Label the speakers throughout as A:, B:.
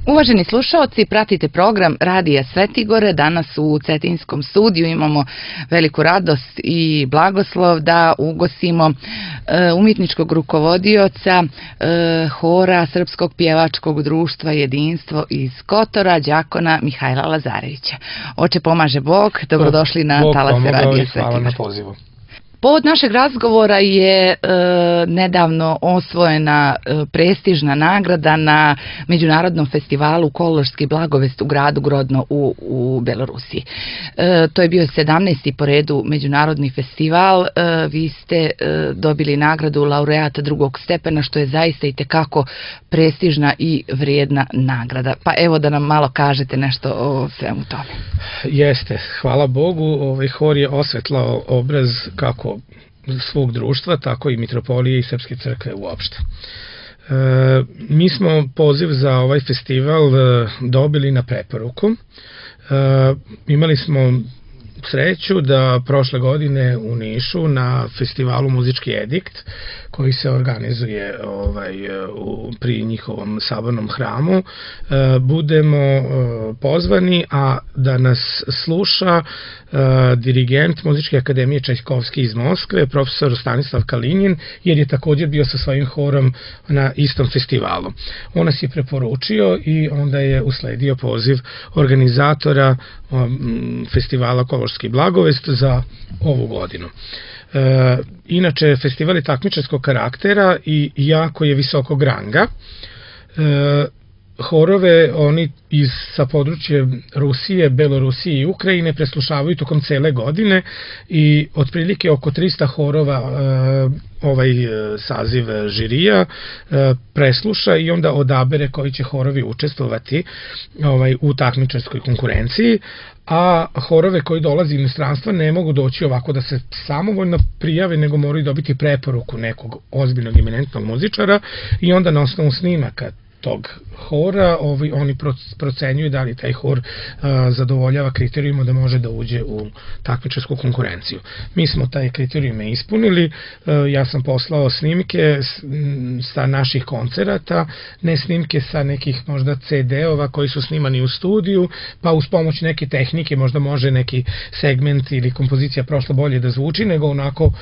A: Uvaženi slušaoci, pratite program Radija Svetigore. Danas u Cetinskom studiju imamo veliku radost i blagoslov da ugostimo umjetničkog rukovodioca hora Srpskog pjevačkog društva Jedinstvo iz Kotora, đakona Mihajla Lazarevića. Oče pomaže Bog, dobrodošli na talase Radija Svetigore.
B: Hvala na pozivu.
A: Povod našeg razgovora je nedavno osvojena prestižna nagrada na Međunarodnom festivalu Kološki blagovest u gradu Grodno u Belorusiji. To je bio 17. po redu međunarodni festival. Vi ste dobili nagradu laureata drugog stepena, što je zaista i tekako prestižna i vrijedna nagrada. Pa evo da nam malo kažete nešto o svemu tome.
B: Jeste, hvala Bogu, hor je osvetlao obraz kako svog društva, tako i mitropolije i Srpske crkve uopšte. Mi smo poziv za ovaj festival dobili na preporuku. Imali smo sreću da prošle godine u Nišu na festivalu Muzički edikt, koji se organizuje pri njihovom sabornom hramu, budemo pozvani, a da nas sluša dirigent Muzičke akademije Čajkovski iz Moskve, profesor Stanislav Kalinjin, jer je također bio sa svojim horom na istom festivalu. On nas je preporučio i onda je usledio poziv organizatora festivala Kološki blagovest za ovu godinu. Inače, festival je takmičarskog karaktera i jako je visokog ranga. Horove oni sa područja Rusije, Belorusije i Ukrajine preslušavaju tokom cele godine i otprilike oko 300 horova ovaj saziv žirija presluša i onda odabere koji će horovi učestvovati u takmičarskoj konkurenciji, a horove koji dolaze iz inostranstva ne mogu doći ovako da se samovoljno prijave, nego moraju dobiti preporuku nekog ozbiljnog eminentnog muzičara i onda na osnovu snimaka tog hora oni procenjuju da li taj hor zadovoljava kriterijuma da može da uđe u takmičarsku konkurenciju. Mi smo taj kriterijume ispunili, ja sam poslao snimke sa naših koncerata, ne snimke sa nekih možda CD-ova koji su snimani u studiju, pa uz pomoć neke tehnike možda može neki segment ili kompozicija prošlo bolje da zvuči, nego onako,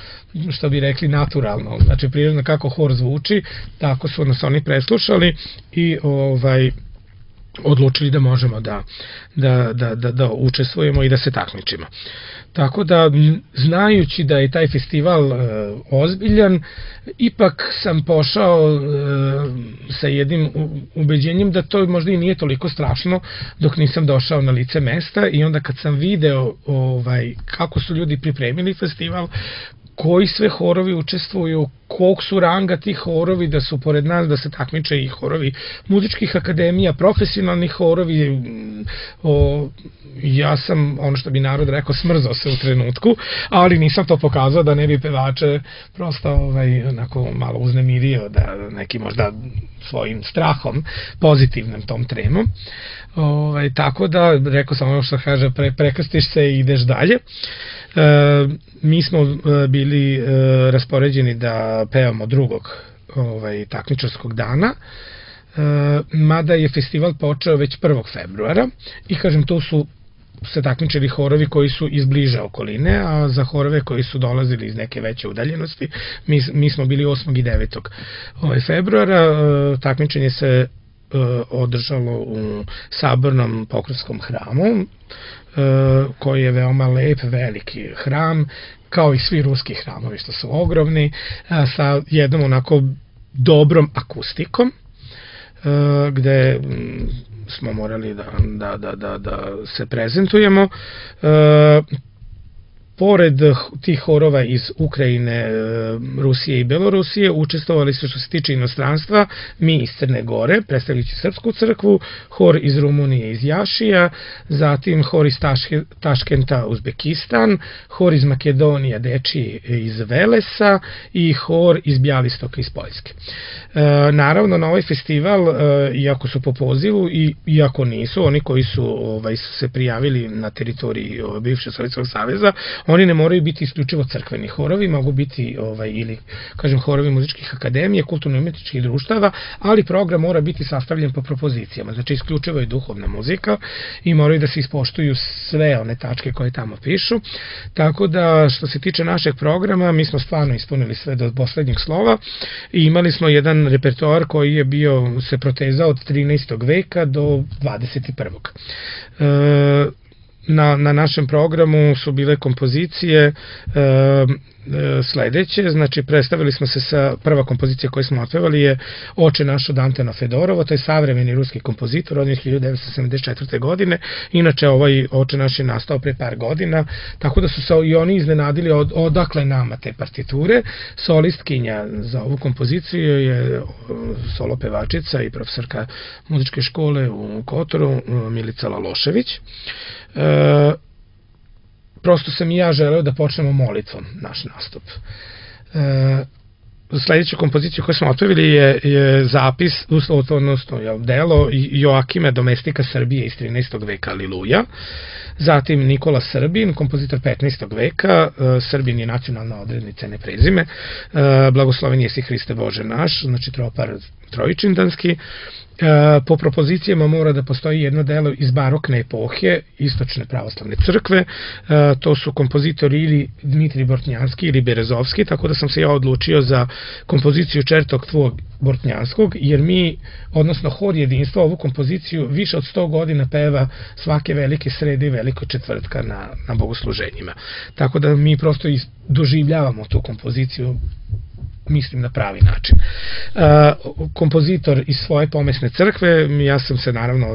B: što bi rekli, naturalno, znači prirodno kako hor zvuči, tako su nas oni preslušali i odlučili da možemo da učestvujemo i da se takmičimo. Tako da, znajući da je taj festival ozbiljan, ipak sam pošao sa jednim ubeđenjem da to možda i nije toliko strašno dok nisam došao na lice mesta, i onda kad sam video kako su ljudi pripremili festival, koji sve horovi učestvuju, koliko su ranga tih horovi, da su pored nas, da se takmiče i horovi muzičkih akademija, profesionalni horovi, ja sam, ono što bi narod rekao, smrzao se u trenutku, ali nisam to pokazao da ne bi pevače prosto onako malo uznemirio, da neki možda svojim strahom, pozitivnom tom tremom. Tako da, rekao sam ono što kaže, prekrstiš se i ideš dalje. Mi smo bili raspoređeni da pevamo drugog takmičarskog dana, mada je festival počeo već 1. februara i kažem, tu su se takmičili horovi koji su iz bliže okoline, a za horove koji su dolazili iz neke veće udaljenosti mi smo bili 8. i 9. februara. Takmičenje se održalo u Sabornom Pokrovskom hramu, koji je veoma lep, veliki hram, kao i svi ruski hramovi što su ogromni, sa jednom onako dobrom akustikom, gde smo morali da se prezentujemo. Pored tih horova iz Ukrajine, Rusije i Belorusije, učestvovali su, što se tiče inostranstva, mi iz Crne Gore, predstavljajući Srpsku crkvu, hor iz Rumunije iz Jašija, zatim hor iz Taškenta, Uzbekistan, hor iz Makedonije, dečiji iz Velesa i hor iz Bjalistoka iz Poljske. Naravno, na ovaj festival, iako su po pozivu i iako nisu, oni koji su se prijavili na teritoriji bivšeg Sovjetskog saveza, Oni ne moraju biti isključivo crkveni horovi, mogu biti ili, kažem, horovi muzičkih akademije, kulturno-umetničkih društava, ali program mora biti sastavljen po propozicijama, znači isključivo je duhovna muzika i moraju da se ispoštuju sve one tačke koje tamo pišu, tako da što se tiče našeg programa, mi smo stvarno ispunili sve do poslednjeg slova i imali smo jedan repertoar koji je bio, se protezao od 13. veka do 21. Na našem programu su bile kompozicije sledeće, znači predstavili smo se sa, prva kompozicija koju smo otpevali je Oče naš od Antona Fedorova, to je savremeni ruski kompozitor od 1974. godine, inače ovaj Oče naš je nastao pre par godina, tako da su se i oni iznenadili odakle nama te partiture. Solistkinja za ovu kompoziciju je solo pevačica i profesorka muzičke škole u Kotoru, Milica Lalošević. Prosto sam i ja želeo da počnemo molitvom naš nastup. Sledeću kompoziciju koju smo otpevili je zapis, odnosno delo Joakima Domestika Srbije iz 13. veka Aliluja. Zatim Nikola Srbin, kompozitor 15. veka, Srbin je nacionalna odrednica, ne prezime, Blagosloven jesi Hriste Bože naš, znači tropar trojičindanski. Po propozicijama mora da postoji jedno delo iz barokne epohe Istočne pravoslavne crkve, to su kompozitori ili Dmitrij Bortnjanski ili Berezovski, tako da sam se ja odlučio za kompoziciju Čertok tvog Bortnjanskog, jer mi, odnosno hor jedinstva, ovu kompoziciju više od 100 godina peva svake velike srede i veliko četvrtka na bogosluženjima. Tako da mi prosto doživljavamo tu kompoziciju, mislim, na pravi način. Kompozitor iz svoje pomesne crkve, ja sam se naravno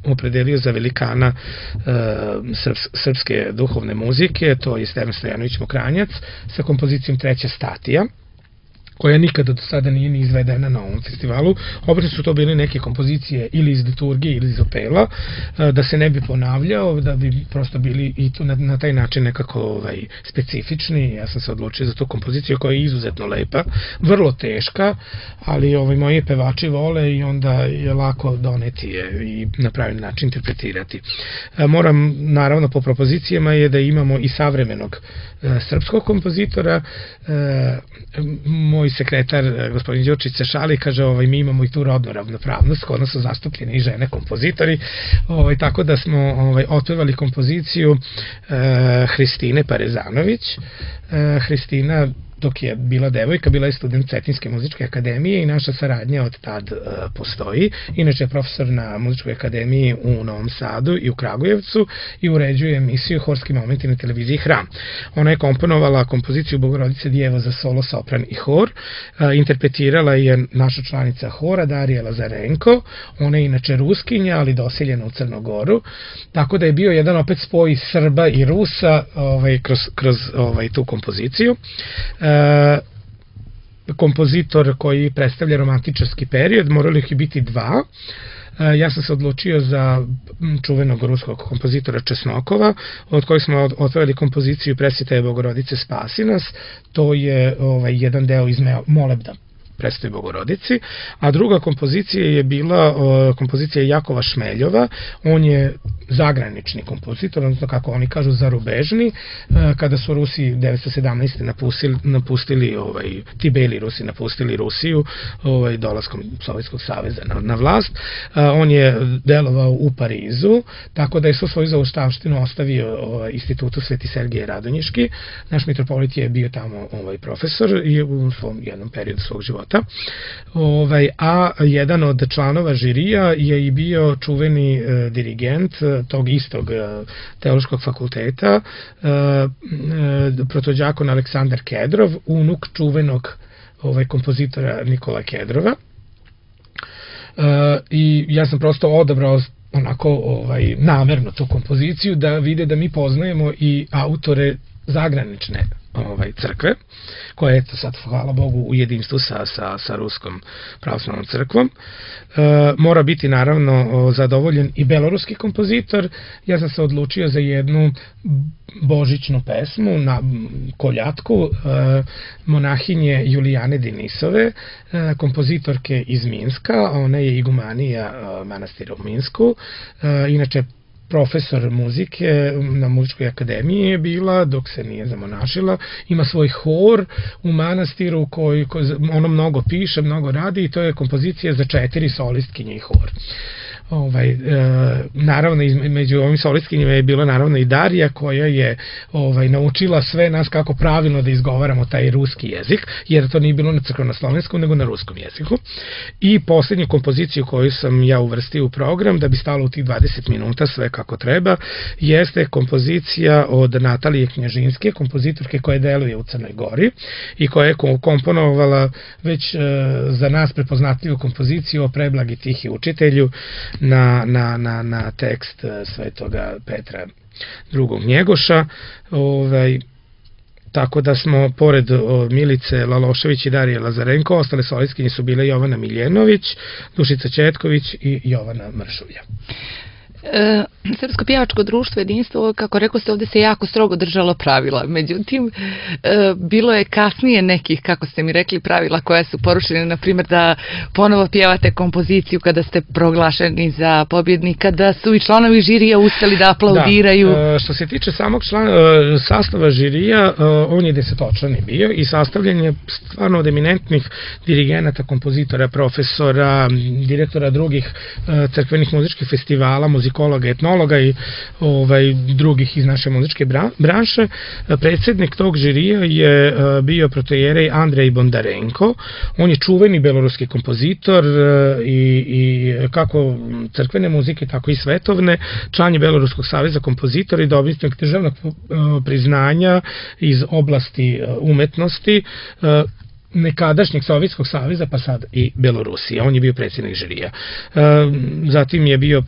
B: opredelio za velikana srpske duhovne muzike, to je Stevan Stojanović Mokranjac, sa kompozicijom Treća statija, koja nikada do sada nije ni izvedena na ovom festivalu. Obično su to bile neke kompozicije ili iz liturgije ili iz opela, da se ne bi ponavljao, da bi prosto bili i tu na taj način nekako specifični. Ja sam se odlučio za tu kompoziciju koja je izuzetno lepa, vrlo teška, ali moji pevači vole i onda je lako doneti je i na pravi način interpretirati. Moram, naravno, po propozicijama je da imamo i savremenog srpskog kompozitora. Moj sekretar, gospodin Đurčić, se šali, kaže, mi imamo i tu rodnu ravnopravnost, kod nas su zastupljene i žene kompozitori, tako da smo otpevali kompoziciju Hristine Parezanović. Hristina, dok je bila devojka, bila je student Cetinjske muzičke akademije i naša saradnja od tad postoji. Inače je profesor na muzičkoj akademiji u Novom Sadu i u Kragujevcu i uređuje emisiju Horski momenti na televiziji Hram. Ona je komponovala kompoziciju Bogorodice Djevo za solo, sopran i hor. Interpretirala je naša članica hora Darija Lazarenko. Ona je inače Ruskinja, ali doseljena u Crnogoru. Tako da je bio jedan opet spoj Srba i Rusa kroz tu kompoziciju. Kompozitor koji predstavlja romantičarski period, morali ih biti dva. Ja sam se odlučio za čuvenog ruskog kompozitora Česnokova, od kojeg smo otvorili kompoziciju Presvetaje Bogorodice spasi nas. To je jedan deo iz molebda Presvetoj Bogorodici, a druga kompozicija je bila kompozicija Jakova Šmeljova. On je zagranični kompozitor, odnosno kako oni kažu zarubežni. Kada su Rusi 1917. napustili, ti beli Rusi napustili Rusiju dolaskom Sovjetskog saveza na vlast, on je delovao u Parizu, tako da je svoju zaostavštinu ostavio institutu Sveti Sergije Radonjiški. Naš mitropolit je bio tamo profesor i u svom jednom periodu svog života. A jedan od članova žirija je i bio čuveni dirigent tog istog teološkog fakulteta, protođakon Aleksandar Kedrov, unuk čuvenog kompozitora Nikola Kedrova. I ja sam prosto odabrao onako namerno tu kompoziciju da vide da mi poznajemo i autore zagranične crkve, koja je sad, hvala Bogu, u jedinstvu sa Ruskom pravoslavnom crkvom. Mora biti naravno zadovoljen i beloruski kompozitor. Ja sam se odlučio za jednu božićnu pesmu na koljatku monahinje Julijane Denisove, kompozitorke iz Minska. Ona je igumanija manastira u Minsku. Inače profesor muzike na muzičkoj akademiji je bila, dok se nije zamonašila. Ima svoj hor u manastiru koji ono mnogo piše, mnogo radi i to je kompozicija za 4 solistkinje i hor. Naravno, među ovim solistkinjima je bila naravno i Darija, koja je naučila sve nas kako pravilno da izgovaramo taj ruski jezik, jer to nije bilo na crkveno-slovenskom, nego na ruskom jeziku. I poslednju kompoziciju koju sam ja uvrstio u program, da bi stalo u tih 20 minuta sve kako treba, jeste kompozicija od Natalije Knjažinske, kompozitorke koja deluje u Crnoj Gori i koja je komponovala već za nas prepoznatljivu kompoziciju o Preblagi tihi učitelju na tekst svetoga Petra II. Njegoša. Tako da smo, pored Milice Lalošević i Darije Lazarenko, ostale solistkinje su bile Jovana Miljenović, Dušica Ćetković i Jovana Mršulja.
A: Srpsko pjevačko društvo Jedinstvo, kako rekao ste, ovdje se jako strogo držalo pravila. Međutim, bilo je kasnije nekih, kako ste mi rekli, pravila koja su porušene, na primjer da ponovo pjevate kompoziciju kada ste proglašeni za pobjednika, da su i članovi žirija ustali da aplaudiraju.
B: Da, što se tiče samog sastava žirija, on je 10-člani bio i sastavljen je stvarno od eminentnih dirigenata, kompozitora, profesora, direktora drugih crkvenih muzičkih festivala, muzikologa, etnologa i drugih iz naše muzičke branše. Predsjednik tog žirija je bio protojerej Andrej Bondarenko. On je čuveni beloruski kompozitor i kako crkvene muzike, tako i svetovne. Član je Beloruskog saveza kompozitora i dobitnik državnog priznanja iz oblasti umetnosti nekadašnjeg Sovjetskog saveza, pa sad i Belorusije. On je bio predsjednik žirija. Zatim je bio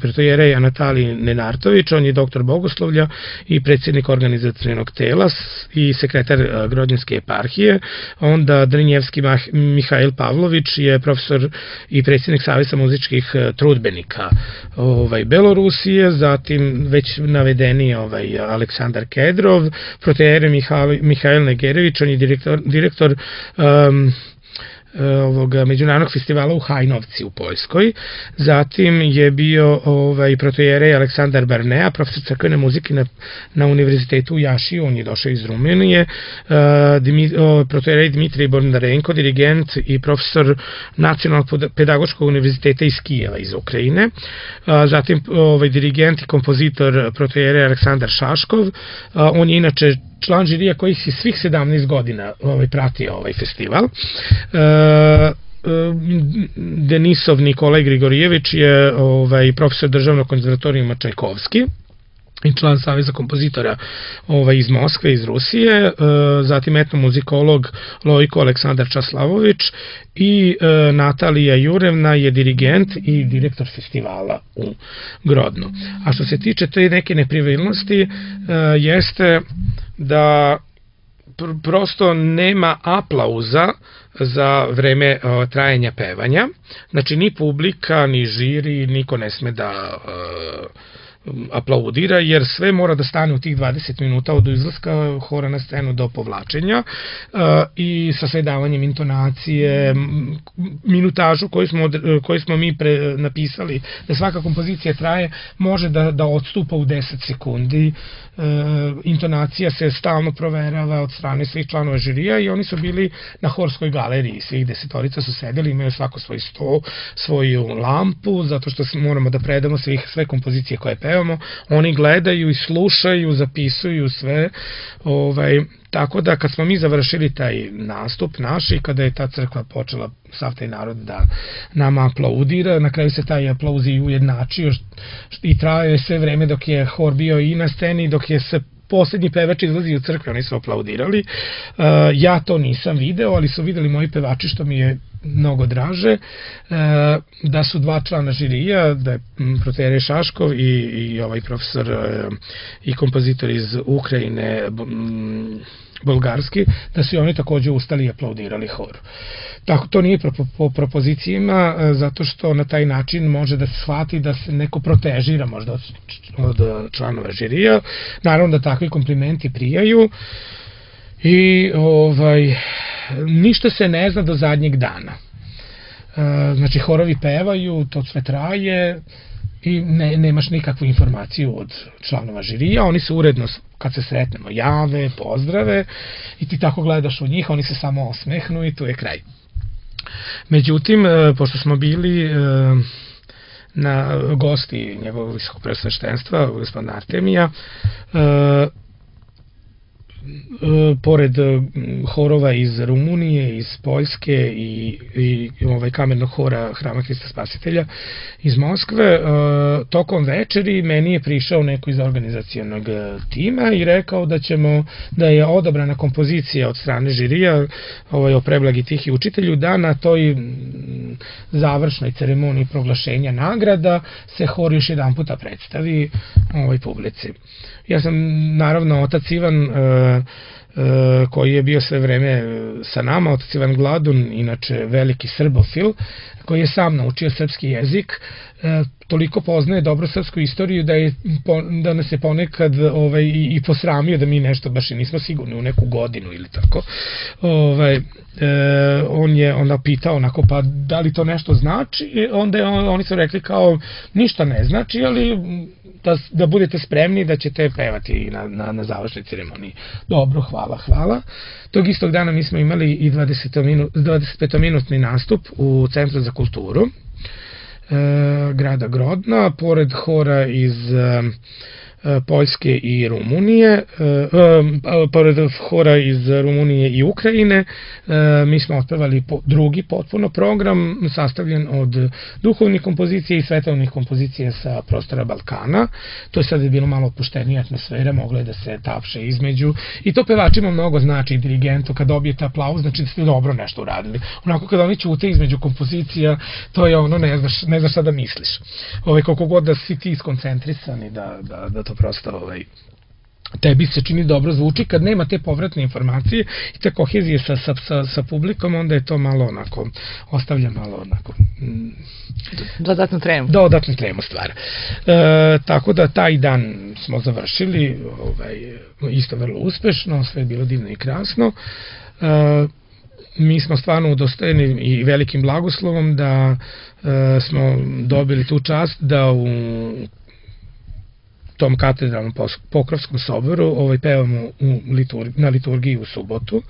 B: pretojerej Natalij Nenartović, on je doktor bogoslovlja i predsjednik organizacionog tela i sekretar Grodnjanske eparhije. Onda Drinjevski Mihajl Pavlović je profesor i predsjednik Saveza muzičkih trudbenika Belorusije. Zatim već navedeni Aleksandar Kedrov, protojerej Mihajl Negerević, on je direktor međunarodnog festivala u Hajnovci u Poljskoj. Zatim je bio protojerej Aleksandar Barnea, profesor crkvene muzike na univerzitetu u Jašiju, on je došao iz Rumunije. Protojerej Dmitrij Bondarenko, dirigent i profesor Nacionalnog pedagoškog univerziteta iz Kijeva, iz Ukrajine. Zatim dirigent i kompozitor protojerej Aleksandar Šaškov, on je inače član žirija koji si svih 17 godina pratio ovaj festival. Denisov Nikolaj Grigorijević je profesor državnog konzervatorijuma Čajkovski i član Saveza kompozitora iz Moskve, iz Rusije. Zatim etnomuzikolog Lojko Aleksandar Časlavović i Natalija Jurevna je dirigent i direktor festivala u Grodnu. A što se tiče te neke nepravilnosti, jeste da prosto nema aplauza za vreme trajanja pevanja. Znači, ni publika, ni žiri, niko ne sme da aplaudira, jer sve mora da stane u tih 20 minuta od izlaska hora na scenu do povlačenja i sa sve davanjem intonacije, minutažu koju smo mi napisali, da svaka kompozicija traje, može da odstupa u 10 sekundi. Intonacija se stalno proverava od strane svih članova žirija i oni su bili na horskoj galeriji, svih 10 su sedeli, imaju svako svoj sto, svoju lampu, zato što moramo da predamo sve kompozicije koje pevamo, oni gledaju i slušaju, zapisuju sve, tako da kad smo mi završili taj nastup naš i kada je ta crkva počela, sav taj narod da nama aplaudira, na kraju se taj aplauz i ujednačio i trajao je sve vreme dok je hor bio i na sceni, dok je se poslednji pevač izlazi u crkve, oni su aplaudirali. Ja to nisam video, ali su videli moji pevači, što mi je mnogo draže, da su 2 člana žirija, da je protojerej Šaškov i ovaj profesor i kompozitor iz Ukrajine, bolgarski, da su i oni takođe ustali i aplaudirali horu. Tako, to nije po propozicijima, zato što na taj način može da se shvati da se neko protežira možda od članova žirija. Naravno da takvi komplimenti prijaju i ništa se ne zna do zadnjeg dana. Znači, horovi pevaju, to sve traje i nemaš nikakvu informaciju od članova žirija, oni se uredno, kad se sretnemo, jave, pozdrave i ti tako gledaš u njih, oni se samo osmehnu i tu je kraj. Međutim, pošto smo bili na gosti njegovog visokog preosveštenstva, gospodina Artemija, pored horova iz Rumunije, iz Poljske i kamernog hora Hrama Hrista Spasitelja iz Moskve, tokom večeri meni je prišao neko iz organizacionog tima i rekao da je odabrana kompozicija od strane žirija o Preblagi tihi učitelju, da na toj završnoj ceremoniji proglašenja nagrada se hor još jedan puta predstavi publici. Ja sam, naravno, otac Ivan, koji je bio sve vreme sa nama, otac Ivan Gladun, inače veliki srbofil, koji je sam naučio srpski jezik, toliko poznaje dobro srpsku istoriju da nas je ponekad i posramio da mi nešto baš i nismo sigurni u neku godinu ili tako. On je onda pitao onako, pa da li to nešto znači? Onda oni su rekli kao ništa ne znači, ali da budete spremni da ćete pevati na završnoj ceremoniji. Dobro, hvala. Tog istog dana mi smo imali i 25-minutni nastup u Centru za kulturu grada Grodna, pored hora iz Poljske i Rumunije, pored hora iz Rumunije i Ukrajine, mi smo otpevali drugi potpuno program sastavljen od duhovnih kompozicija i svetovnih kompozicija sa prostora Balkana. To je sad bilo malo opuštenija atmosfera, moglo je da se tapše između i to pevačima mnogo znači, dirigentu kad dobijete aplauz, znači da ste dobro nešto uradili. Onako kad oni ćute između kompozicija, to je ono, ne znaš šta da misliš. Koliko god da si ti skoncentrisani da to prosto tebi se čini dobro zvuči, kad nema te povratne informacije i te kohezije sa publikom, onda je to malo onako, ostavlja malo onako
A: dodatnu tremu.
B: Dodatnu tremu stvar. Tako da taj dan smo završili isto vrlo uspešno, sve je bilo divno i krasno. Mi smo stvarno udostojeni i velikim blagoslovom da smo dobili tu čast da u tom katedralnom Pokrovskom soboru pevamo na liturgiji u subotu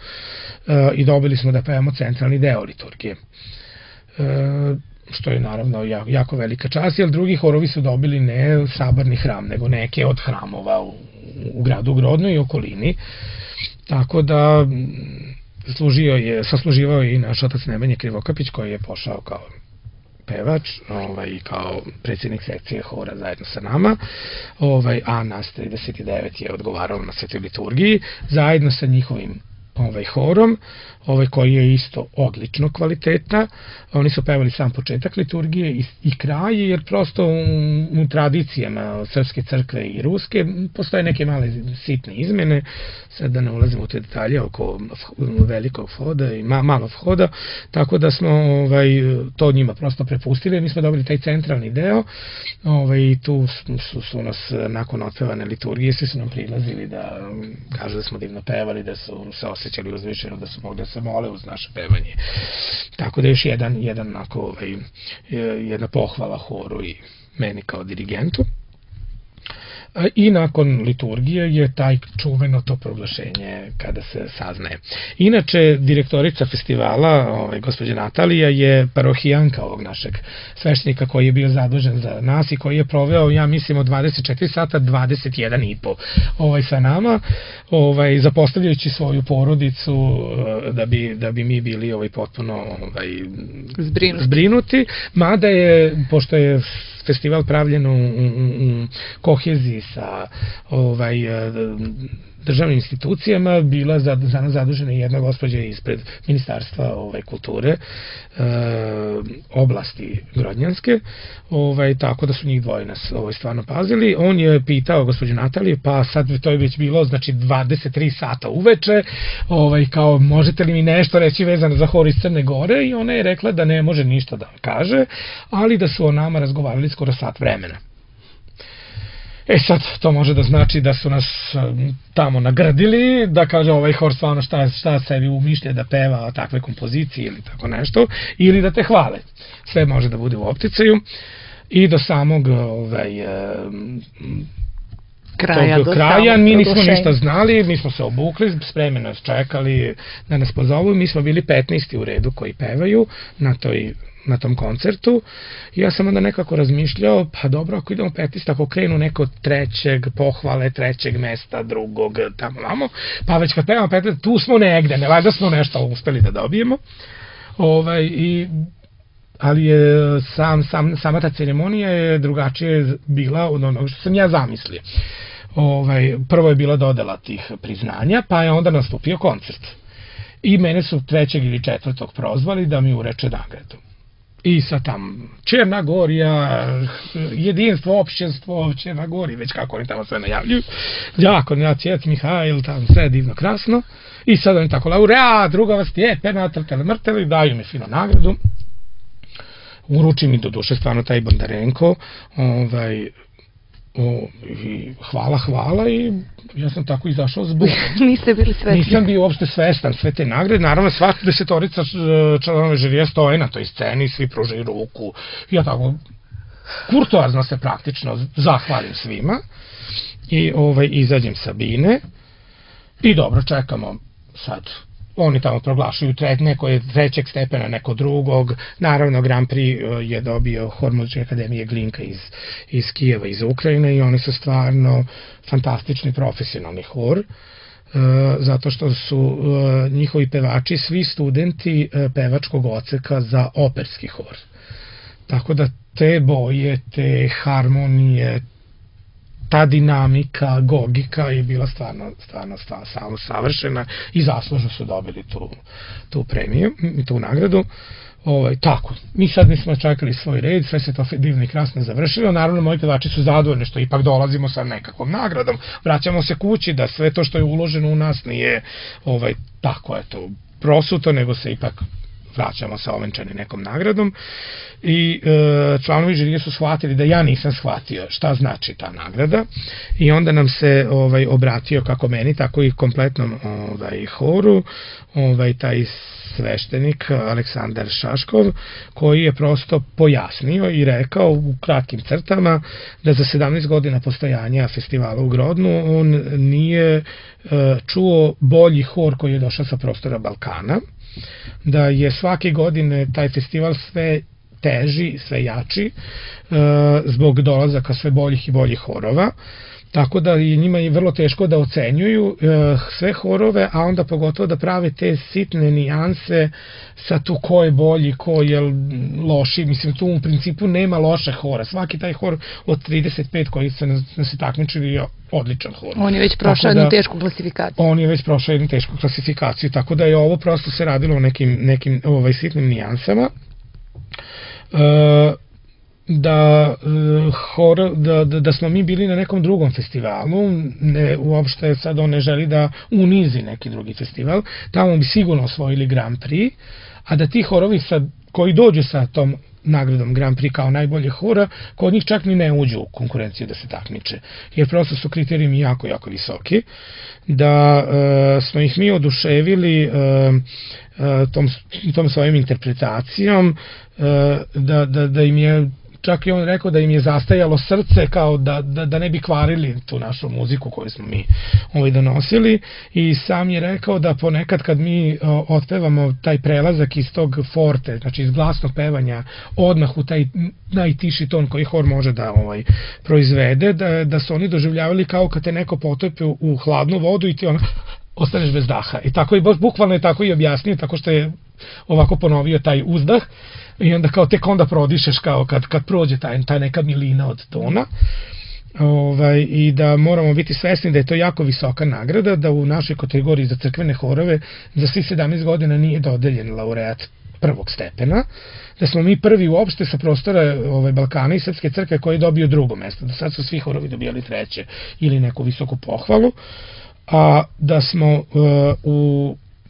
B: i dobili smo da pevamo centralni deo liturgije. Što je naravno jako velika čast, jer drugi horovi su dobili ne saborni hram, nego neke od hramova u gradu Grodno i okolini. Tako da sasluživao je i naš otac Nemanja Krivokapić, koji je pošao kao pevač i kao predsjednik sekcije hora zajedno sa nama, a nas 39 je odgovarao na svetoj liturgiji zajedno sa njihovim horom, koji je isto odlično kvaliteta. Oni su pevali sam početak liturgije i kraj, jer prosto u tradicijama Srpske crkve i Ruske postoje neke male sitne izmene, sad da ne ulazimo u te detalje oko velikog vhoda i malog vhoda, tako da smo to njima prosto prepustili. Mi smo dobili taj centralni deo i tu su nas nakon otpevane liturgije svi su nam prilazili da kažu da smo divno pevali, da su se osjećali uzvišeno, da su mogli da se mole uz naše pevanje. Tako da još jedna pohvala horu i meni kao dirigentu. I nakon liturgije je taj čuveno to proglašenje kada se saznaje. Inače, direktorica festivala, gospođa Natalija, je parohijanka ovog našeg sveštenika koji je bio zadužen za nas i koji je proveo, ja mislim, od 24 sata 21,5 sa nama, zapostavljajući svoju porodicu da bi mi bili potpuno zbrinuti, mada je, pošto je festival pravljen u koheziji sa državnim institucijama, bila za nas zadužena jedna gospođa ispred Ministarstva kulture oblasti Grodnjanske, tako da su njih dvoje nas stvarno pazili. On je pitao gospođu Nataliju, pa sad to je već bilo, znači 23 sata uveče, kao možete li mi nešto reći vezano za hor iz Crne Gore, i ona je rekla da ne može ništa da kaže, ali da su o nama razgovarali skoro sat vremena. E sad, to može da znači da su nas tamo nagradili, da kaže ovaj hor stvarno šta sebi umišlja da peva takve kompozicije ili tako nešto, ili da te hvale. Sve može da bude u opticaju i do samog kraja mi nismo ništa znali, mi smo se obukli, spremno nas čekali da nas pozovu, mi smo bili 15. u redu koji pevaju na tom koncertu. Ja sam onda nekako razmišljao, pa dobro, ako idemo 15, ako krenu neko trećeg, pohvale trećeg mesta, drugog, tamo vamo, pa već kad pevamo 15, tu smo negde, ne valjda smo nešto uspeli da dobijemo. Ali je sama ta ceremonija je drugačije bila od onog što sam ja zamislio. Prvo je bila dodela tih priznanja, pa je onda nastupio koncert. I mene su 3. ili 4. prozvali da mi ureče nagradu. I sad tam Černagorija, jedinstvo, opšćenstvo, Černagorija, već kako oni tamo sve najavljuju. Jako, Cvjet Mihajl, tamo sve divno, krasno. I sad oni tako laureat, druga vas stjepena, trtele mrteli, daju mi fino nagradu. Uruči mi do duše stvarno taj Bondarenko, hvala i ja sam tako izašao s bukom.
A: Niste bili svesni?
B: Nisam bio uopšte svestan sve te nagrade, naravno svaka 10 članova žirija stoje na toj sceni, svi pružaju ruku, ja tako kurtoazno se praktično zahvalim svima i izađem sa bine i dobro, čekamo sad. Oni tamo proglašuju neko je 3. stepena, neko drugog. Naravno, Grand Prix je dobio Hor muzičke akademije Glinka iz Kijeva, iz Ukrajine i oni su stvarno fantastični profesionalni hor, zato što su njihovi pevači svi studenti pevačkog odseka za operski hor. Tako da te boje, te harmonije, ta dinamika, gogika je bila stvarno savršena i zaslužno su dobili tu premiju, tu nagradu. Tako, mi sad nismo čekali svoj red, sve se to divno i krasno završilo, naravno moji pevači su zadovoljni što ipak dolazimo sa nekakvom nagradom, vraćamo se kući da sve to što je uloženo u nas nije tako eto prosuto, nego se ipak vraćamo sa ovenčani nekom nagradom i članovi žirije su shvatili da ja nisam shvatio šta znači ta nagrada i onda nam se obratio kako meni, tako i kompletnom horu, taj sveštenik Aleksandar Šaškov, koji je prosto pojasnio i rekao u kratkim crtama da za 17 godina postojanja festivala u Grodnu on nije čuo bolji hor koji je došao sa prostora Balkana, da je svake godine taj festival sve teži, sve jači, zbog dolazaka sve boljih i boljih horova, tako da je njima je vrlo teško da ocenjuju sve horove, a onda pogotovo da prave te sitne nijanse sa tu ko je bolji, ko je loši, mislim tu u principu nema loše hora, svaki taj hor od 35 koji se takmičili je odličan hor.
A: On je već prošao jednu tešku klasifikaciju.
B: On je već prošao jednu tešku klasifikaciju, tako da je ovo prosto se radilo o nekim sitnim nijansama. Da smo mi bili na nekom drugom festivalu, uopšte sad on ne želi da unizi neki drugi festival, tamo bi sigurno osvojili Grand Prix, a da ti horovi koji dođu sa tom nagradom Grand Prix kao najbolje hora, kod njih čak ni ne uđu u konkurenciju da se takmiče, jer prosto su kriterijumi jako, jako visoki, da smo ih mi oduševili tom svojim interpretacijom, da im je čak i on rekao da im je zastajalo srce kao da ne bi kvarili tu našu muziku koju smo mi donosili i sam je rekao da ponekad kad mi otpevamo taj prelazak iz tog forte, znači iz glasnog pevanja odmah u taj najtiši ton koji hor može da proizvede, da su oni doživljavali kao kad te neko potopi u hladnu vodu i ti ostaneš bez daha. I tako i bukvalno je tako i objasnio, tako što je ovako ponovio taj uzdah i onda kao tek onda prodišeš kao kad prođe ta neka milina od tona. I da moramo biti svesni da je to jako visoka nagrada, da u našoj kategoriji za crkvene horove za svih 17 godina nije dodeljen laureat prvog stepena, da smo mi prvi uopšte sa prostora Balkana i Srpske crkve koji je dobio drugo mesto, da sad su svi horovi dobijali treće ili neku visoku pohvalu, a da smo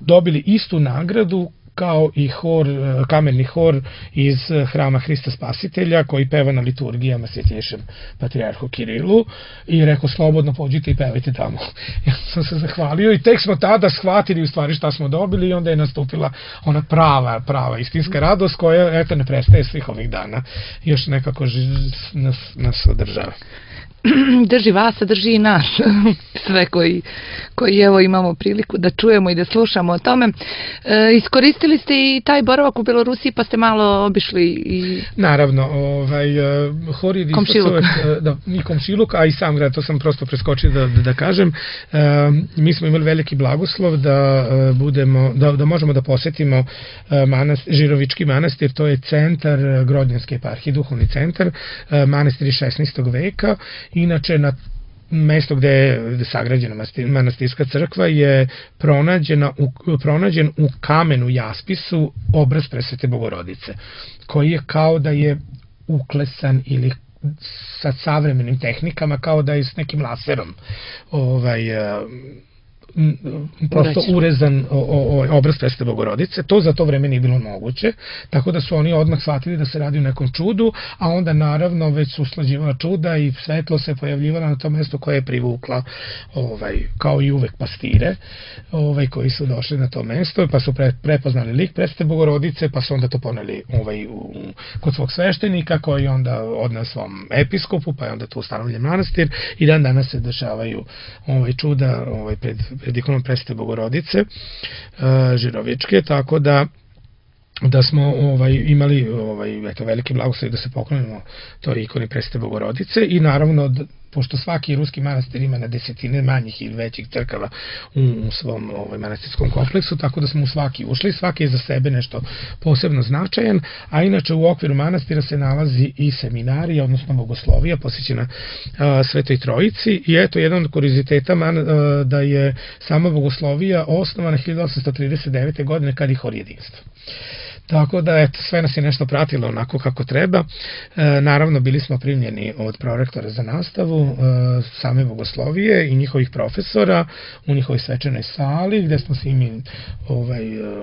B: dobili istu nagradu kao i kamerni hor iz hrama Hrista Spasitelja koji peva na liturgijama Svjetlješem patrijarhu Kirilu i rekao slobodno pođite i pevajte tamo. Ja sam se zahvalio i tek smo tada shvatili u stvari šta smo dobili i onda je nastupila ona prava istinska radost koja eto ne prestaje svih ovih dana. Još nekako nas održava.
A: Drži vas, a drži i nas, sve koji evo imamo priliku da čujemo i da slušamo o tome. Iskoristili ste i taj boravak u Belorusiji pa ste malo obišli i...
B: Naravno, hor je i komšiluk, a i sam grad, to sam prosto preskočio da kažem. Mi smo imali veliki blagoslov da možemo da posetimo Žirovički manastir, to je centar Grodnjanske eparhije, duhovni centar, manastir iz 16. veka. Inače, na mesto gde je sagrađena manastirska crkva je pronađen u kamenu jaspisu obraz Presvete Bogorodice, koji je kao da je uklesan ili sa savremenim tehnikama, kao da je s nekim laserom prosto urezan obraz Presvete Bogorodice. To za to vreme nije bilo moguće, tako da su oni odmah shvatili da se radi o nekom čudu, a onda naravno već su usklađivala čuda i svetlo se pojavljivala na to mesto koje je privukla kao i uvek pastire koji su došli na to mesto, pa su prepoznali lik Presvete Bogorodice, pa su onda to poneli kod svog sveštenika koji onda odneo svom episkopu, pa je onda tu ustanovljen manastir i dan danas se dešavaju čuda pred ikonom Presvete Bogorodice Žirovičke, tako da smo imali veliki blagoslov da se poklonimo toj ikoni Presvete Bogorodice i naravno pošto svaki ruski manastir ima na desetine manjih ili većih crkava u svom manastirskom kompleksu, tako da smo u svaki ušli, svaki je za sebe nešto posebno značajan, a inače u okviru manastira se nalazi i seminarija, odnosno bogoslovija posvećena Svetoj Trojici i eto jedan od kurioziteta da je sama bogoslovija osnovana 1839. godine kad je hor jedinstva. Tako da, eto, sve nas je nešto pratilo onako kako treba. Naravno, bili smo primljeni od prorektora za nastavu same bogoslovije i njihovih profesora u njihovoj svečanoj sali, gde smo se mi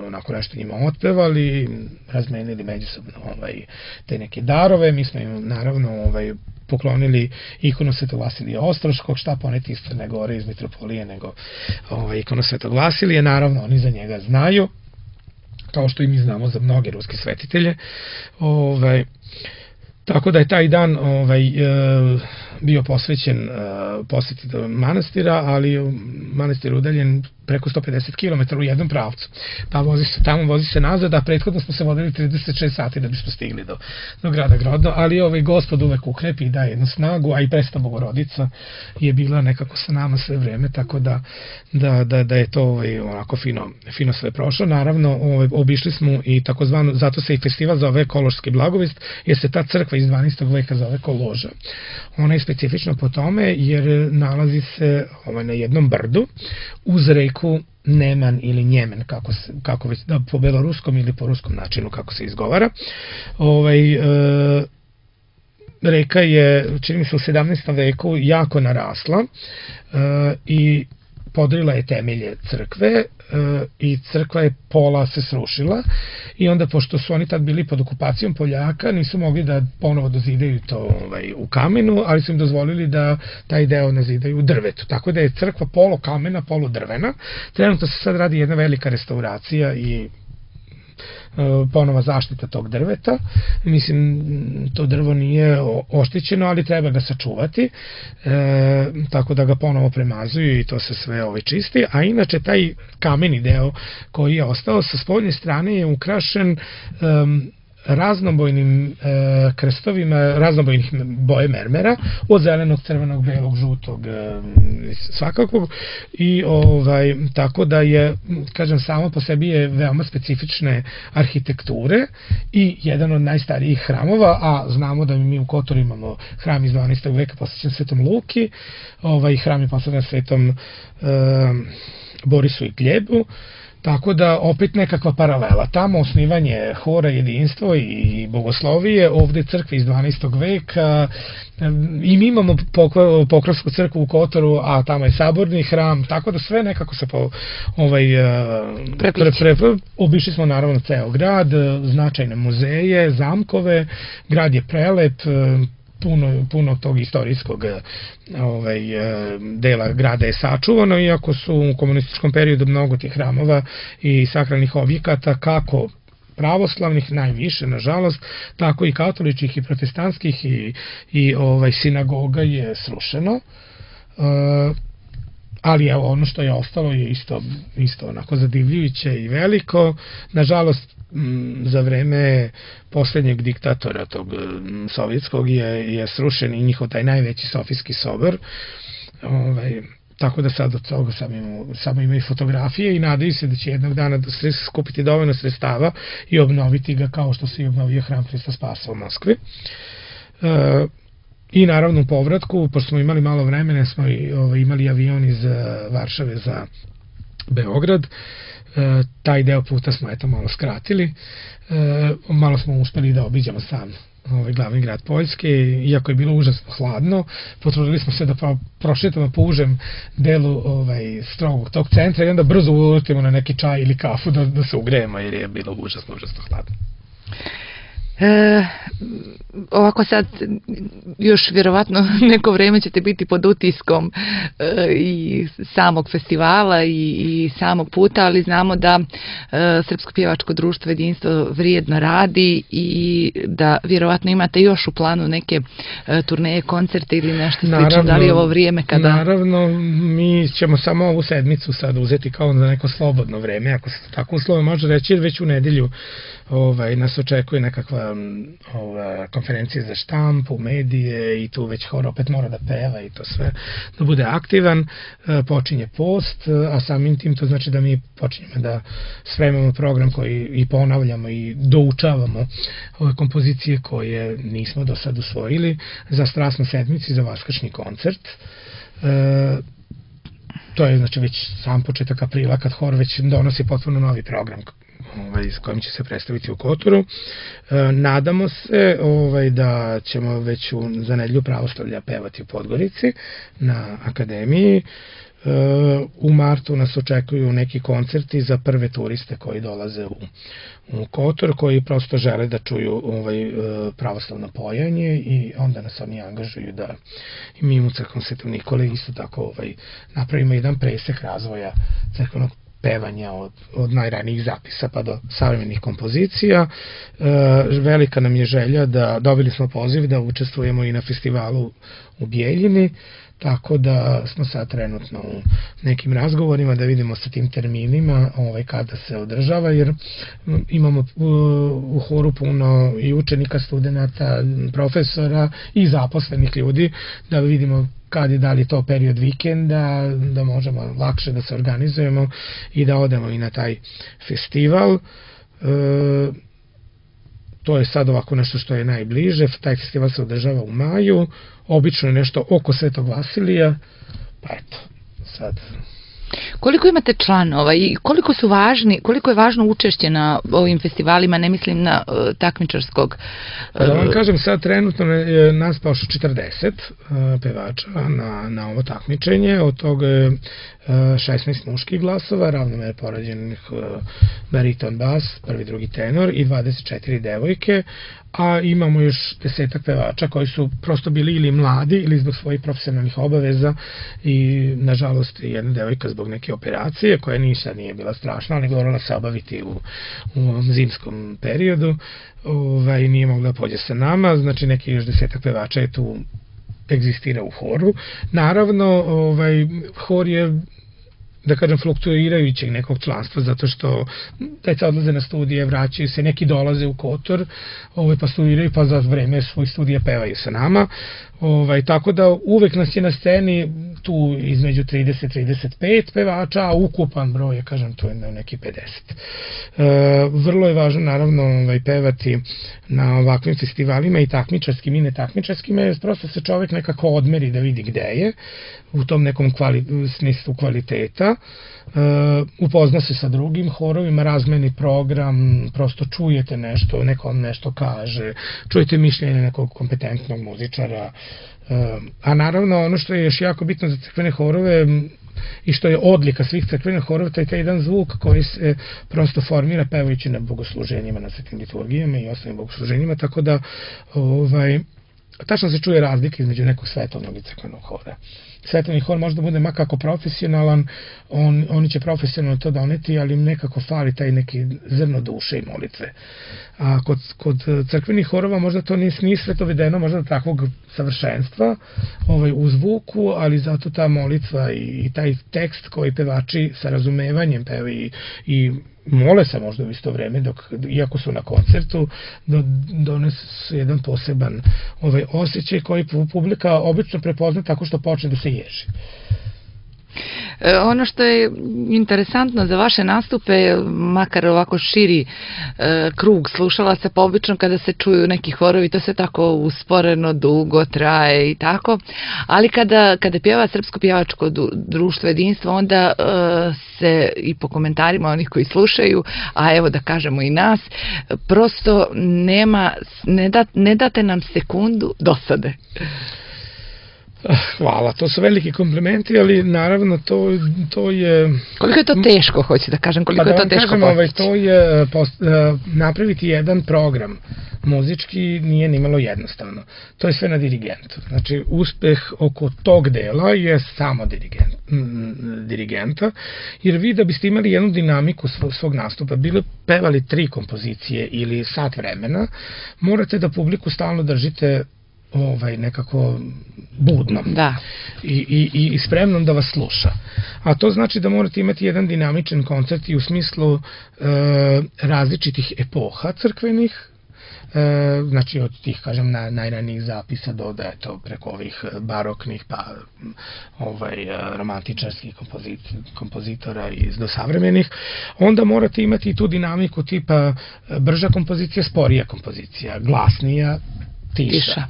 B: onako nešto njima otpevali, razmenili međusobno te neke darove. Mi smo im naravno poklonili ikonu Svetog Vasilija Ostroškog, šta poneti iz Crne Gore, iz Mitropolije, nego ikonu Svetog Vasilija. Naravno, oni za njega znaju, kao što i mi znamo za mnoge ruske svetitelje. Tako da je taj dan bio posvećen posjeti manastira, ali manastir udaljen preko 150 km u jednom pravcu. Pa vozi se tamo, vozi se nazad, a prethodno smo se vodili 36 sati da bismo stigli do grada Grodno, ali Gospod uvek ukrepi i daje jednu snagu, a i Presveta Bogorodica je bila nekako sa nama sve vreme, tako da je to onako fino sve prošlo. Naravno, obišli smo i takozvano, zato se i festival zove Kološki blagovest, jer se ta crkva iz 12. veka zove Koloža. Ona je specifična po tome jer nalazi se na jednom brdu uz reku Neman ili Njemen, kako već po beloruskom ili po ruskom načinu kako se izgovara. Reka je, čini mi se, u 17. veku jako narasla i podrila je temelje crkve i crkva je pola se srušila i onda pošto su oni tad bili pod okupacijom Poljaka nisu mogli da ponovo dozidaju to u kamenu, ali su im dozvolili da taj deo nazidaju u drvetu, tako da je crkva polo kamena, polo drvena. Trenutno se sad radi jedna velika restauracija i ponova zaštita tog drveta. Mislim, to drvo nije oštećeno, ali treba ga sačuvati, tako da ga ponovo premazuju i to se sve čisti, a inače taj kameni deo koji je ostao sa spoljne strane je ukrašen raznobojnim krstovima, raznobojnih boje mermera, od zelenog, crvenog, belog, žutog, svakakvog, i tako da je, kažem, samo po sebi je veoma specifične arhitekture i jedan od najstarijih hramova, a znamo da mi u Kotoru imamo hram iz 12. veka posvećen Svetom Luki, hram je posvećen Svetom Borisu i Gljebu, Tako da opet nekakva paralela. Tamo osnivanje hora jedinstvo i bogoslovije, ovde crkve iz 12. veka, i mi imamo Pokrovsku crkvu u Kotoru, a tamo je saborni hram, tako da sve nekako se obišli smo naravno ceo grad, značajne muzeje, zamkove, grad je prelep, puno tog istorijskog dela grada je sačuvano, iako su u komunističkom periodu mnogo tih hramova i sakralnih objekata, kako pravoslavnih najviše, nažalost, tako i katoličkih i protestantskih i sinagoga je srušeno. Ali evo, ono što je ostalo je isto onako zadivljujuće i veliko. Nažalost, za vreme poslednjeg diktatora tog sovjetskog je srušen i njihov taj najveći Sofijski sobor. Tako da sad od toga samo imaju fotografije i nadaju se da će jednog dana skupiti dovoljno sredstava i obnoviti ga kao što se i obnovio hram Hrista Spasa u Moskvi. I naravno u povratku, pošto smo imali malo vremena, smo imali avion iz Varšave za Beograd. Taj deo puta smo malo skratili. Malo smo uspeli da obiđemo sam glavni grad Poljske, iako je bilo užasno hladno. Potrudili smo se da prošetamo po užem delu strogog tog centra i onda brzo uletimo na neki čaj ili kafu da se ugrejemo, jer je bilo užasno hladno.
A: Ovako sad još vjerovatno neko vreme ćete biti pod utiskom i samog festivala i samog puta, ali znamo da Srpsko pjevačko društvo Jedinstvo vrijedno radi i da vjerovatno imate još u planu neke turneje, koncerte ili nešto slično. Da li je ovo vrijeme kada...
B: Naravno, mi ćemo samo ovu sedmicu sad uzeti kao za neko slobodno vreme, ako se tako uslovno može reći, jer već u nedelju nas očekuje nekakva konferencija za štampu, medije i tu već hor opet mora da peva i to sve, da bude aktivan. Počinje post, a samim tim to znači da mi počinjemo da spremamo program koji i ponavljamo i doučavamo ove kompozicije koje nismo do sad usvojili za Strasnu sedmicu i za Vaskršnji koncert. To je znači već sam početak aprila kad hor već donosi potpuno novi program s kojim će se predstaviti u Kotoru. Nadamo se da ćemo već za nedelju pravoslavlja pevati u Podgorici na akademiji. U martu nas očekuju neki koncerti za prve turiste koji dolaze u Kotor, koji prosto žele da čuju pravoslavno pojanje i onda nas oni angažuju da i mi u Crkvenom Svetom Nikole isto tako napravimo jedan presek razvoja crkvenog pevanja od najranijih zapisa pa do savremenih kompozicija. Velika nam je želja da dobili smo poziv da učestvujemo i na festivalu u Bijeljini, tako da smo sad trenutno u nekim razgovorima da vidimo sa tim terminima kada se održava, jer imamo u horu puno i učenika, studenata, profesora i zaposlenih ljudi, da vidimo kad je da li to period vikenda, da možemo lakše da se organizujemo i da odemo i na taj festival. To je sad ovako nešto što je najbliže. Taj festival se održava u maju, obično je nešto oko Svetog Vasilija, pa eto, sad...
A: Koliko imate članova i koliko je važno učešće na ovim festivalima, ne mislim na takmičarskog?
B: Da vam kažem, sad trenutno je nas pašo 40 pevača na ovo takmičenje, od toga 16 muških glasova, ravnomerno porađenih bariton bas, prvi, drugi tenor i 24 devojke, a imamo još 10 pevača koji su prosto bili ili mladi ili zbog svojih profesionalnih obaveza i nažalost jedna devojka zbog neke operacije koja nije bila strašna, ali morala se obaviti u ovom zimskom periodu, nije mogla pođe sa nama, znači neki još 10 pevača je tu egzistira u horu. Naravno, hor je da kažem, fluktuirajućeg nekog članstva, zato što deca odlaze na studije, vraćaju se, neki dolaze u Kotor, pa studiraju, pa za vreme svojih studija pevaju sa nama. Tako da uvek nas je na sceni tu između 30-35 pevača, a ukupan broj je, kažem, to je neki 50. Vrlo je važno, naravno, pevati na ovakvim festivalima i takmičarskim i netakmičarskim, jer prosto se čovek nekako odmeri da vidi gde je, u tom nekom smislu kvaliteta, upozna se sa drugim horovima, razmeni program, prosto čujete nešto, neko vam nešto kaže, čujete mišljenje nekog kompetentnog muzičara, a naravno ono što je još jako bitno za crkvene horove i što je odlika svih crkvenih horova, to je taj jedan zvuk koji se prosto formira pevajući na bogosluženjima, na svetim liturgijama i ostalim bogosluženjima, tako da tačno se čuje razlika između nekog svetovnog i crkvenog hora. Svetovni hor može da bude makako profesionalan, oni će profesionalno to doneti, ali im nekako fali taj neki zrno duše i molitve. A kod crkvenih horova možda to nije sve to vedeno, možda takvog savršenstva u zvuku, ali zato ta molitva i taj tekst koji pevači sa razumevanjem pevaju i mole se možda u isto vreme, iako su na koncertu, donesu jedan poseban osjećaj koji publika obično prepozna tako što počne da se ježi.
A: Ono što je interesantno za vaše nastupe, makar ovako širi krug slušalaca, pa obično kada se čuju neki horovi, to se tako usporeno, dugo traje i tako, ali kada pjeva Srpsko pjevačko društvo Jedinstvo, onda se i po komentarima onih koji slušaju, a evo da kažemo i nas, prosto ne date nam sekundu dosade.
B: Hvala, to su veliki komplimenti, ali naravno to je...
A: Koliko je to teško, hoću da kažem, koliko je to teško postići?
B: To je napraviti jedan program muzički nije nimalo jednostavno. To je sve na dirigentu. Znači, uspeh oko tog dela je samo dirigenta, jer vi da biste imali jednu dinamiku svog nastupa, bili pevali 3 kompozicije ili sat vremena, morate da publiku stalno držite nekako budnom i spremnom da vas sluša. A to znači da morate imati jedan dinamičan koncert i u smislu različitih epoha crkvenih, znači od tih, kažem, najranijih zapisa do preko ovih baroknih pa romantičarskih kompozitora i do savremenih. Onda morate imati i tu dinamiku tipa brža kompozicija, sporija kompozicija, glasnija, tiša,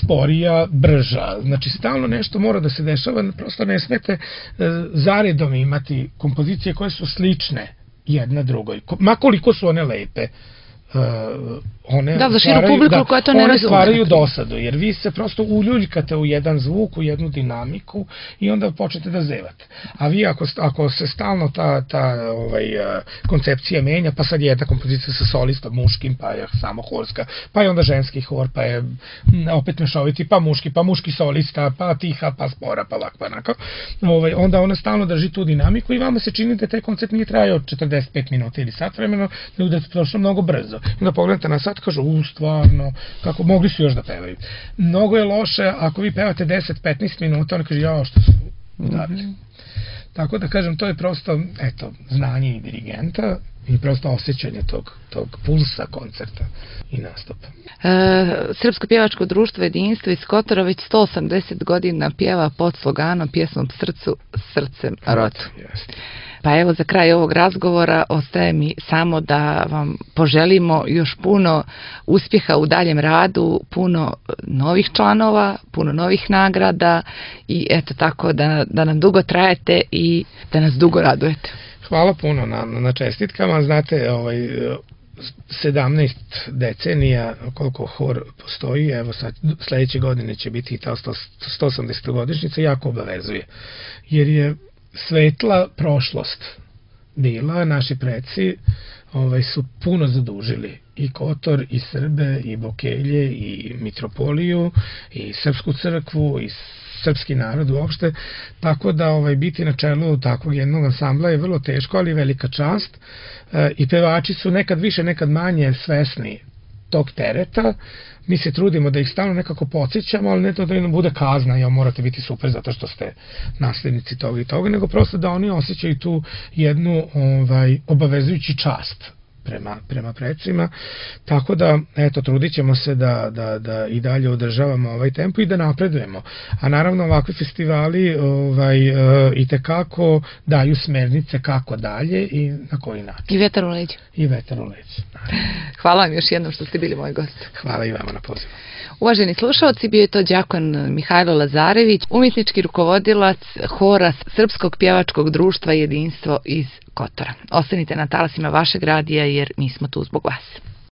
B: sporija, brža. Znači, stalno nešto mora da se dešava, prosto ne smete zaredom imati kompozicije koje su slične jedna drugoj. Makoliko su one lepe, one stvaraju dosadu, jer vi se prosto uljuljkate u jedan zvuk, u jednu dinamiku i onda počnete da zevate. A vi ako se stalno ta koncepcija menja, pa sad je jedna kompozicija sa solistom muškim, pa je samo horska, pa je onda ženski hor, pa je opet mešoviti, pa muški solista, pa tiha, pa spora, pa ovako, pa onako, onda ona stalno drži tu dinamiku i vama se čini da taj koncert nije trajao 45 minuta ili sat vremena, nego da je prošlo mnogo brzo. Onda pogledate na sat, kažu, stvarno, kako mogli su još da pevaju. Mnogo je loše ako vi pevate 10-15 minuta, oni kaže, jao, što su davili. Tako da kažem, to je prosto, eto, znanje i dirigenta i prosto osjećanje tog pulsa koncerta i nastupa.
A: Srpsko pjevačko društvo Jedinstvo iz Kotora već 180 godina pjeva pod sloganom Pjesmom srcu, srcem rotu. Pa evo, za kraj ovog razgovora ostaje mi samo da vam poželimo još puno uspjeha u daljem radu, puno novih članova, puno novih nagrada i eto tako da nam dugo trajete i da nas dugo radujete.
B: Hvala puno na čestitkama. Znate, 17 decenija koliko hor postoji, evo sad sledeće godine će biti ta 180. godišnjica, jako obavezuje. Jer je svetla prošlost bila, naši preci su puno zadužili i Kotor, i Srbe, i Bokelje, i Mitropoliju, i Srpsku crkvu, i srpski narod uopšte, tako da biti na čelu takvog jednog ansambla je vrlo teško, ali velika čast i pevači su nekad više, nekad manje svesni tog tereta. Mi se trudimo da ih stalno nekako podsjećamo, ali ne to da im bude kazna, ja morate biti super zato što ste naslednici toga i toga, nego prosto da oni osjećaju tu jednu obavezujući čast prema precima, tako da, eto, trudit ćemo se da i dalje održavamo ovaj tempo i da napredujemo. A naravno, ovakvi festivali i tekako daju smernice kako dalje i na koji način.
A: I vetar u leđu.
B: I vetar u leđu.
A: Hvala vam još jednom što ste bili moj gost.
B: Hvala i vama na pozivu.
A: Uvaženi slušalci, bio je to đakon Mihajlo Lazarević, umjetnički rukovodilac hora Srpskog pjevačkog društva Jedinstvo iz Kotora. Ostanite na talasima vašeg radija jer mi smo tu zbog vas.